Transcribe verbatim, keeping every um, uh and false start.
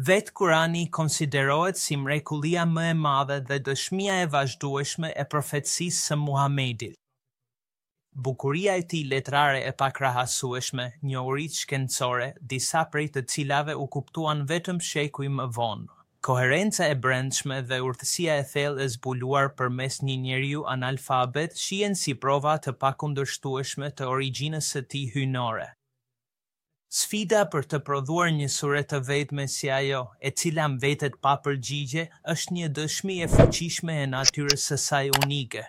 Vetë Kurani konsiderohet si mrekullia më e madhe dhe dëshmia e vazhdueshme e profetësisë së Muhamedit. Bukuria e tij letrare e pakrahasueshme, njohuritë shkencore, disa prej të cilave u kuptuan vetëm shekuj më vonë, koherenca e brendshme dhe urtësia e thellë e zbuluar përmes një njeriu analfabet shihen si prova të pakundërshtueshme të origjinës së tij hyjnore. Sfida për të prodhuar një sure të vetme si ajo, e cila mbetet pa përgjigje, është një dëshmi e fuqishme e natyrës së saj unike.